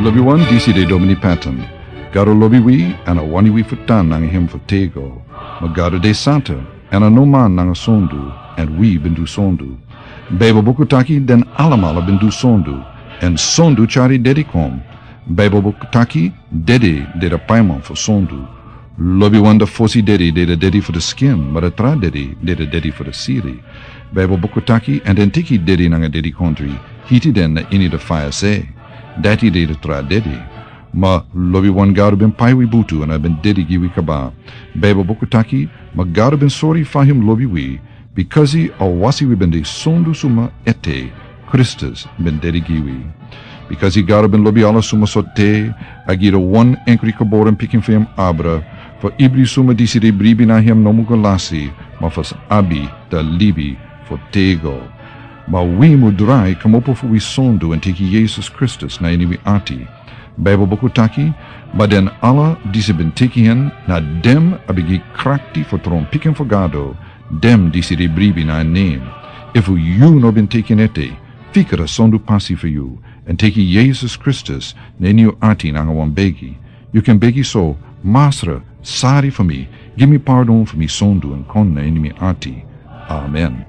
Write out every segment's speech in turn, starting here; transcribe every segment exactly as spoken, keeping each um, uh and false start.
Lobiwan, disi de Domini Patton. Gado lobi wi, èn a wani wi fu tan nanga hem fu tego. Ma Gado de santa, èn a no man nanga sondu, èn wi ben du sondu. Baibel buku taki den alamala ben du sondu, èn sondu tyari dedi kon. Baibel buku taki dedi de da paiman fu sondu. Lobiwan, da fosi dedi de da dedi fu da skin, ma da tra dedi de da dedi fu da siri. Baibel buku taki, èn den teki dedi nanga dedikondri, hiti den na ini da faya se. Dati de da tra dedi. Ma lobiwan, Gado ben pai wi butu èn a ben dedi gi wi kaba. Baibel buku taki, ma Gado ben sori fa hem lobi wi, bikasi a wasi wi ben de sondu suma ete, Kristus ben dedi gi wi. Bikasi Gado ben lobi ala suma so te, a gi da wan enkri geboren pikin fu hem abra, fu ibri suma disi de bribi na hem no mu go lasi, ma fu sa abi da libi fu tego. Ma wi mu drai kmopo fu wi sondu èn teki Yesus Kristus na ini wi ati. Baibel buku taki, ma den ala disi ben teki hen, na dem a ben gi krakti fu tron pikin fu Gado, dem disi de bribi na en nen. Efu yu no ben teki en ete, fika da sondu pasi fu yu, èn teki Yesus Kristus na ini yu ati nanga wan begi. Yu kan begi so, Masra, sari fu mi, gi mi pardon fu mi sondu èn kon na ini mi ati. Amen.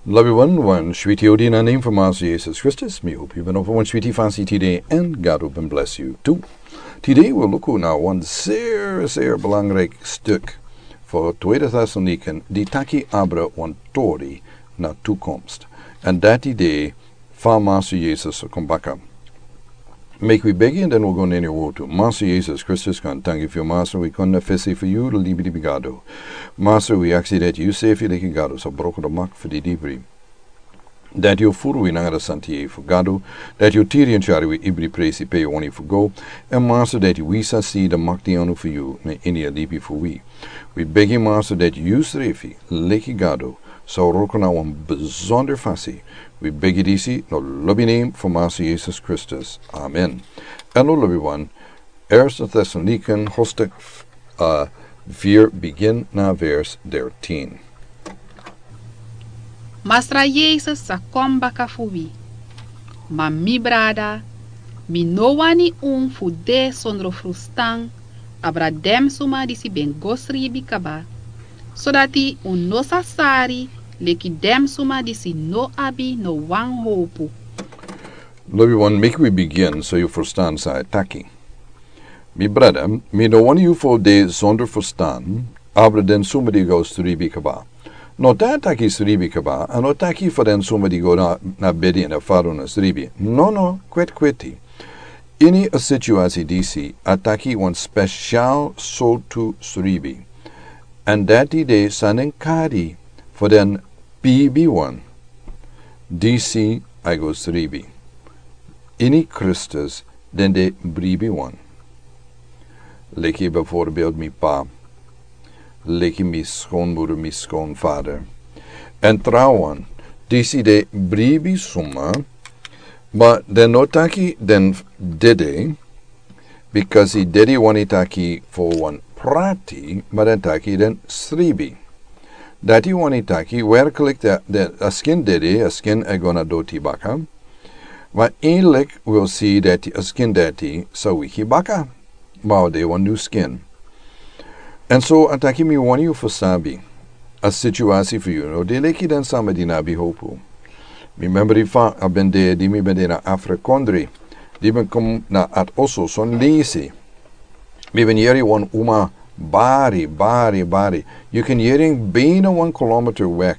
Lobiwan, wan switi odi na nen fu Masra Yesus Kristus, mi hopi yu ben opo wan switi fasi tide, èn Gado ben blesi yu tu. Tide wi luku na wan seri, seri belangrijk stuk fu Tweede Tessalonikan, di taki abra wan tori na toekomst. Èn dati de fa Masra Yesus o kon baka. Meki wi begi èn den wi o go na ini a wortu. Masra Yesus Kristus, kon tangi fu yu, Masra, wi kon na fesi fu yu, da libi di Gado. Masra, wi aksi dati yu sefi leki Gado sa broko da mak fu di dibri. Dati yu furu wi nanga da santi yeye fu Gado, dati yu tiri èn tyari wi ibri presi pe yu wani fu go, èn Masra, dati wi sa si da makti anu fu yu na ini a libi fu wi. Wi begi, Masra, dati yu srefi leki Gado sa wroko na wan bizonder fasi. Wi begi disi na lobi nen fu Masra Yesus Kristus. Amen. Èn lobiwan, Eerste Tessalonikan hoofdstuk, eh, vier, begin na vers dertien. Masra Yesus sa kon baka fu wi. Ma mi brada, mi no wani un fu de sondro frustan, abra den suma disi ben go sribi kaba, sodati un no sa sari leki den suma disi no abi no wan howpu. Lobiwan, meki wi bigin so yu frustan san a e taki. Mi brada, mi no wani yu fu de sondro frustan, abra den suma di go sribi kaba. No tan taki sribi kaba, a no taki fu den suma di go na, na bedi èn a fadon na sribi. No, no, kweti kweti. Ini a situasi disi, a taki wan spesial sortu sribi. Èn dati de san den kari fu den bibiwan. Disi a e go sribi. Ini Kristus den de bribiwan. Leki bijvoorbeeld mi pa. Leki mi skonbroeder, mi skonvader. Èn trawan, disi de bribi suma, ma den no taki den dede, bikasi dede wani taki fu wan prati, ma den taki den sribi. Dati wani taki, werkelijk de, de, a skin dede, a skin e go na doti baka. Ma eindelijk wil si dati a skin dati sa wiki baka. Ma a de wan new skin. Èn so a taki mi wani yu fu sabi. A situasi fu yu no de leki den sama di no abi howpu. Mi member fa a ben de, di mi ben de na Afrikondri. Di ben kon na ati oso, son leisi. Mi ben yere wan uma bari, bari, bari. Yu kan yere en bijna wan kilometer weg.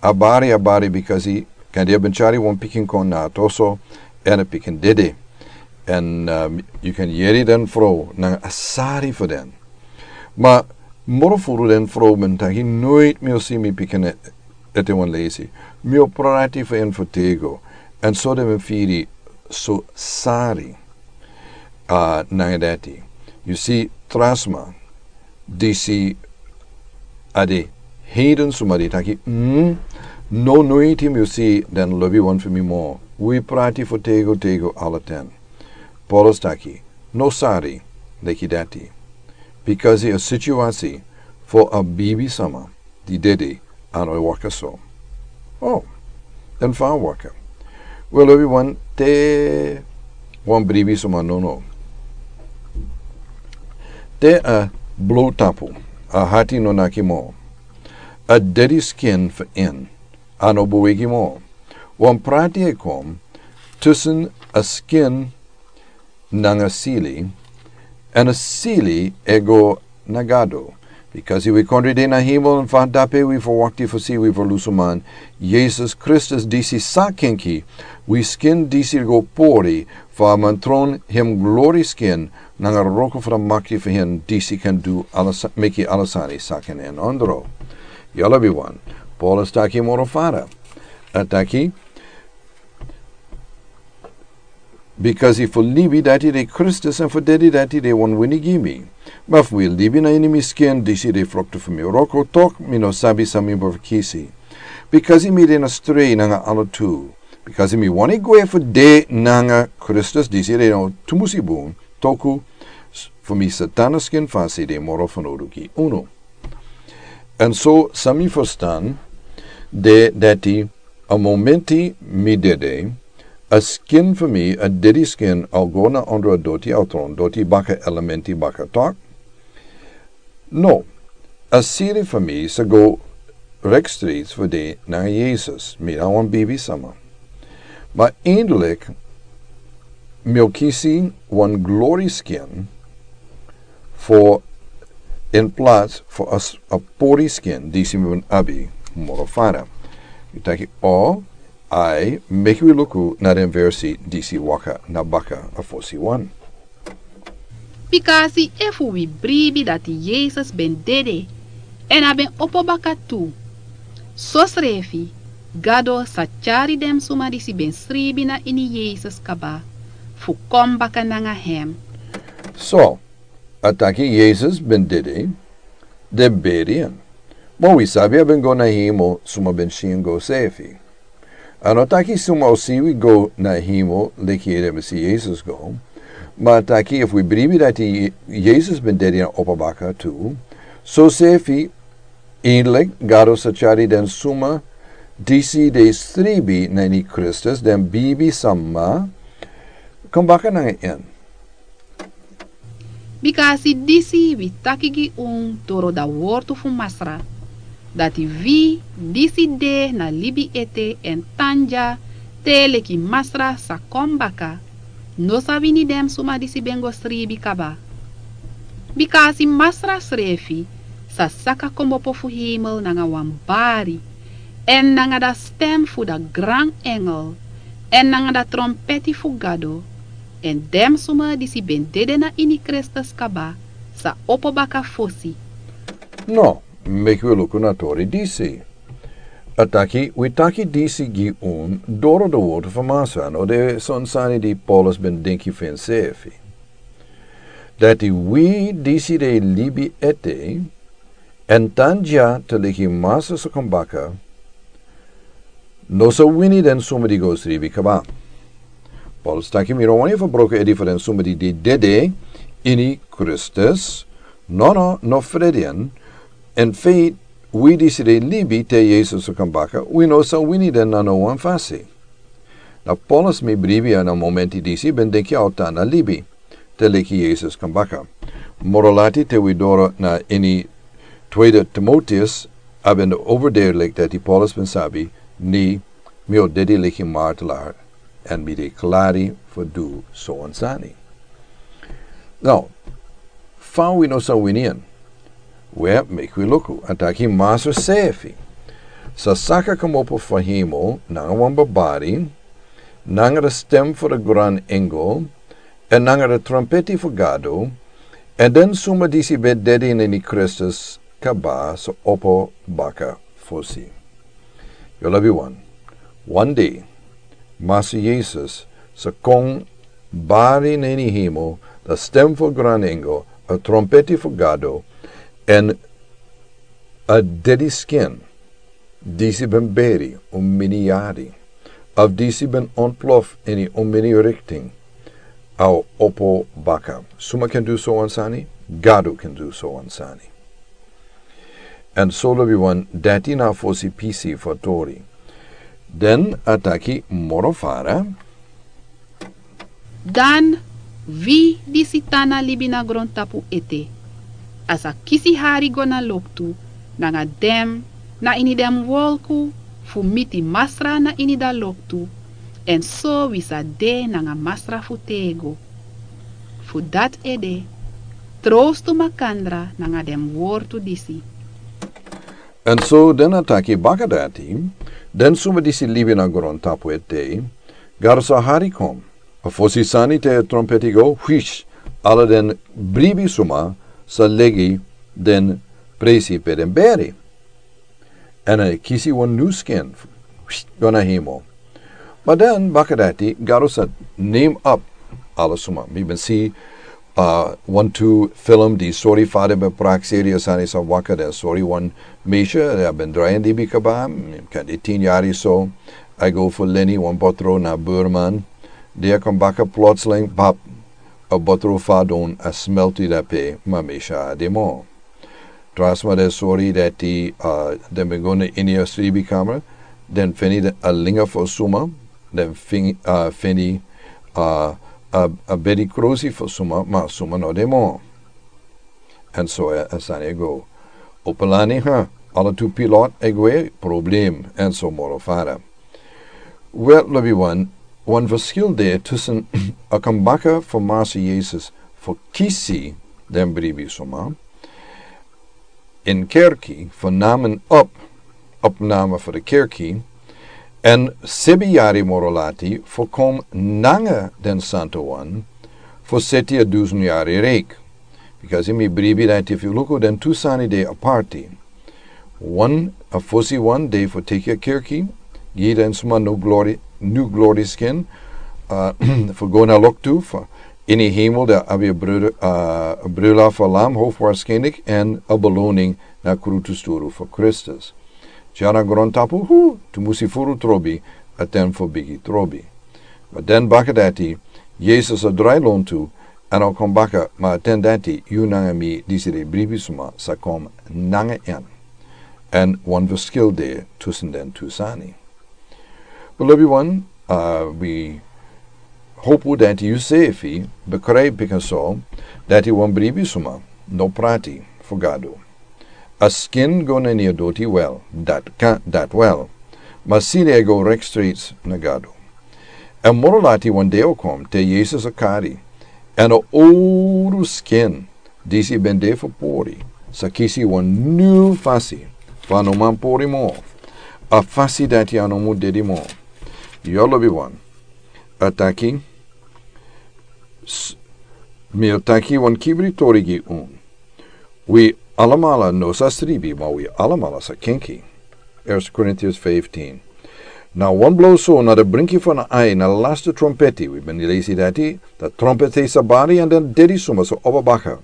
A bari, a bari, bikasi kande a ben tyari wan pikin kon na ati oso, èn a pikin dede. Èn, um, yu kan yere den frow nanga a sari fu den. Ma moro furu den frow ben taki, nooit mi o si mi pikin e-, ete wan leisi. Mi o prati fu en fu tego. Èn so den ben firi so sari, uh, nanga dati. Yu si, tra sma, disi a de heiden suma di taki, mm, no, nooit mi o si den lobiwan fu mi moro. Wi prati fu tego, tego ala ten. Paulus taki, no sari leki dati. Bikasi a situasi fu a bibi sama di dede a no waka so. Oh, den fa waka. Wel, everyone, te wan bribi suma nono. Te a blowtapu, a hati no naki mo. A dedi skin fu en, a no bowegi mo. Wan prati e kon tusun a skin nanga sili, èn a sili e go na Gado. Bikasi wi kondre de na hemel, èn fa dape wi ferwakti fu si wi ferlusuman, Yesus Kristus, disi sa kenki, wi skin disi go pori, fu a man tron hem glori skin, nanga wroko fu a makti fu hen disi kan du ala sa-, meki ala sani sa kan en ondro. Yala bi wan, Paulus taki moro fara. A taki, bikasi fu libi dati de Kristus, èn fu dedi dati de wan wini gi mi. Ma fu mi libi na ini mi skin, disi de fruktu fu mi wroko, tok mi no sabi san mi bo kisi. Bikasi mi de na strei nanga ala tu. Bikasi mi wani gwe fu de nanga Kristus, disi de no tumusi bun, toku s-, fu mi Satana skin fasi de moro fanowdu gi unu. Èn so san mi ferstan de dati a momenti mi dede, a skin fu mi, a dedi skin, a o go na ondro a doti, a o tron doti baka, elementi baka tok. No, a siri fu mi sa go rek stret fu de nanga Yesus, mi na wan bibi sama. Ma eindelik mi o kisi wan glori skin fu in plats fu a s-, a pori skin disi mi ben abi moro fara. Yu taki, o, ai, meki wi luku na den versi disi waka na baka a fosi wan. Bikasi efu wi bribi dati Yesus ben dede, èn a ben opo baka tu, sosrefi Gado sa tyari den suma disi ben sribi na ini Yesus kaba, fu kon baka nanga hem. So, a taki Yesus ben dede, den beri en. Ma wi sabi a ben go na hemel, suma ben si en go sefi. A no taki suma o si wi go na hemel, leki den ben si Yesus go. Ma a taki efu wi bribi dati Yesus ben dede èn opo baka tu, sosefi, eindelik, Gado sa tyari den suma disi de sribi na ini Kristus, den bibi sama, kon baka nanga en. Bikasi disi wi taki gi un doro da wortu fu Masra, dati wi disi de na libi ete èn tan dya te leki Masra sa kon baka, no sa wini den suma disi ben go sribi kaba. Bikasi Masra srefi sa saka kmopo fu hemel nanga wan bari, èn nanga da stem fu da gran engel, èn nanga da trompeti fu Gado, èn den suma disi ben dede na ini Kristus kaba sa opo baka fosi. No, meki wi luku na tori disi. A taki, wi taki disi gi un doro da wortu fu Masra, no de son sani di Paulus ben denki fu ensefi. Dati wi disi de libi ete, èn tan dya te leki Masra sa kon baka, no sa wini den suma di go sribi kaba. Paulus taki mi no wani fu broko edi fu den suma di de dede ini Kristus, no, no, no fredi en, in feit, wi disi de libi te Yesus sa kon baka, wi no sa wini den na no wan fasi. Na Paulus mi bribi na momenti disi ben denki a o tan na libi te leki Yesus kon baka. Moro lati te wi doro na ini Tweede Timoteus, a ben overduidelijk dati Paulus ben sabi, ni mi o dede leki martelaar, èn mi de klari fu du so wan sani. Now, fa wi no sa wini en? Wel, meki wi luku, a taki Masra sefi sa saka kmopo fu hemel nanga wan bari, nanga da stem fu da gran engel, èn nanga da trompeti fu Gado, èn den suma disi ben dede na ini Kristus kaba sa opo baka fosi. Yu lobi wan. Wan dei, Masra Yesus sa kon bari na ini hemel, da stem fu gran engel, a trompeti fu Gado, èn a dedi skin disi ben beri un mini yari, of disi ben ontplof ini un mini richting, a o opo baka. Suma kan du so wan sani? Gado kan du so wan sani. Èn so lobi wan, dati na fosi pisi fu a tori. Den a taki moro fara. Dan wi disi tan na libi na grontapu ete, a sa kisi hari go na loktu nanga den na ini den wolku fu miti Masra na ini da loktu, èn so wi sa de nanga Masra fu tego. Fu dati ede, trowstu makandra nanga den wortu disi. Èn so den a taki baka dati, den suma disi libi na grontapu ete, Gado sa hari kon. A fosi sani te a trompeti go, hwish, ala den bribi suma sa legi den presi pe den beri. Èn a kisi wan nyun skin, hwish, go na hemel. Ma den baka dati, Gado sa name up ala suma. Mi ben si, uh, wantu film di sori fa den ben prakseri a sani sa waka, den sori wan meisje, den ben drai en libi kaba, kan de tin yari so, a go fu leni wan botro na Burman, di a kon baka plotseling, bap, a botro fadon a smelti dape, ma meisje a de moro. Tra sma den sori dati, uh, den ben go na ini a sribi kamra, den feni a linga fu suma, den fin-, uh, feni, uh, a, a bedi krosi fu suma, ma suma no de moro. Èn so a, a sani e go. Opo lani, ha, ala tu pilot e gwe, problem, èn so moro fara. Wel, lobiwan, wan verschil de tussen a kon baka fu Masra Yesus fu kisi den bribi suma in kerki, fu namen op, opname fu de kerki, èn sebi yari moro lati fu kon nanga den Santowan fu seti a dusen yari reik. Because in mi bribi dati, if you look, den tu sani de aparti. Wan, a fosi wan de fu teki a kerki, gi den suma nyun glori, nyun glori skin, uh, fu go na loktu, fu ini hemel, dati abi a bruda, uh, a bruda fu Lam, hoofdwaarschijnlijk, èn a beloning na krutu sturu fu Kristus. Dya na grontapu, hu, tu musi furu trobi, a ten fu bigi trobi. Ma den baka dati, Yesus a drai lontu, èn a kon baka, ma a ten dati, yu nanga mi, disi de bribi suma, sa kon nanga en. Èn wan verschil de tussen den tu sani. But lobiwan, uh, wi hopu dati yu sefi, begrijp bika so, dati wan bribi suma, no prati, fu Gado. A skin go na ini a doti, wel, dati kan, dati wel. Ma side e go rechtstreeks na Gado. Èn moro lati wan dei o kon, te Yesus a kari. Èn a owru skin, disi ben de fu pori, sa kisi wan nyun fasi, fa a no man pori moro. A fasi dati a no mu dedi moro. Yu lobiwan. A taki, s-, mi a taki wan kibri tori gi un. Wi alamala no sa sribi, ma wi alamala sa kenki. Eerste Korintiërs vijftien. Na wan blo so, na de brinki fu a ai, na de laste trompeti, wi ben lesi dati, de trompeti sa bari èn den dedi suma sa opo baka.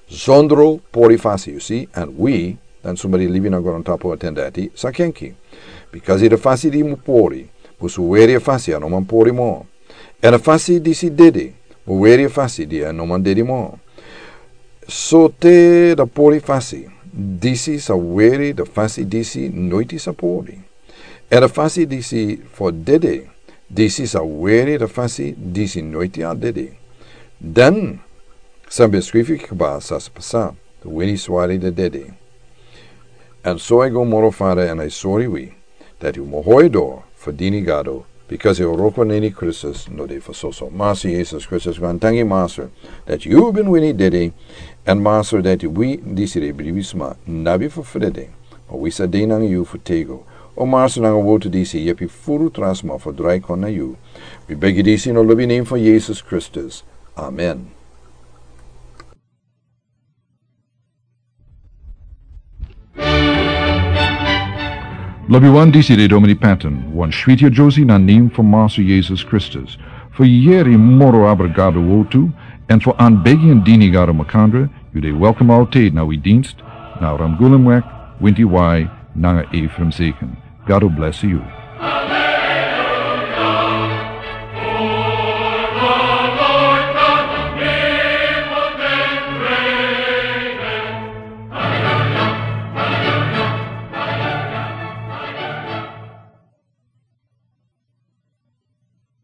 Sondro pori fasi, yu si, èn wi, den suma di libi na grontapu a ten dati, sa kenki. Because de fasi di mu pori, musu weri a fasi a no man pori moro. Èn a fasi disi dedi, mu weri a fasi di a no man dedi moro. So te de pori fasi, disi sa weri de fasi disi noiti sa pori. Èn a fasi disi fu dedi, disi sa weri de fasi disi noiti a dedi. Dan, san ben skrifi kaba sa pasa, de wini swari de dedi. Èn so a go moro fara èn a sori wi, dati un mu hori doro fu dini Gado, because a wroko na ini Kristus no de fu soso. Masra Yesus Kristus, wan tangi Masra, dati yu ben wini dedi, èn Masra dati wi disi de bribi suma, no abi fu frede, ma wi sa de nanga yu fu tego. O Masra, nanga wortu disi, yepi furu tra sma fu drai kon na yu. Wi begi disi na lobi nen fu Yesus Kristus. Amen. Lobiwan, disi de Domini Patton, wan switi a Josie na nen fu Masra Yesus Kristus. Fu yeri moro abra Gado wortu, èn fu anbegi èn dini Gado makandra, yu de welkom altijd na wi dienst, na Ramgulemweg, Winti Wai, nanga Ephraim Zeken. Gado bless yu.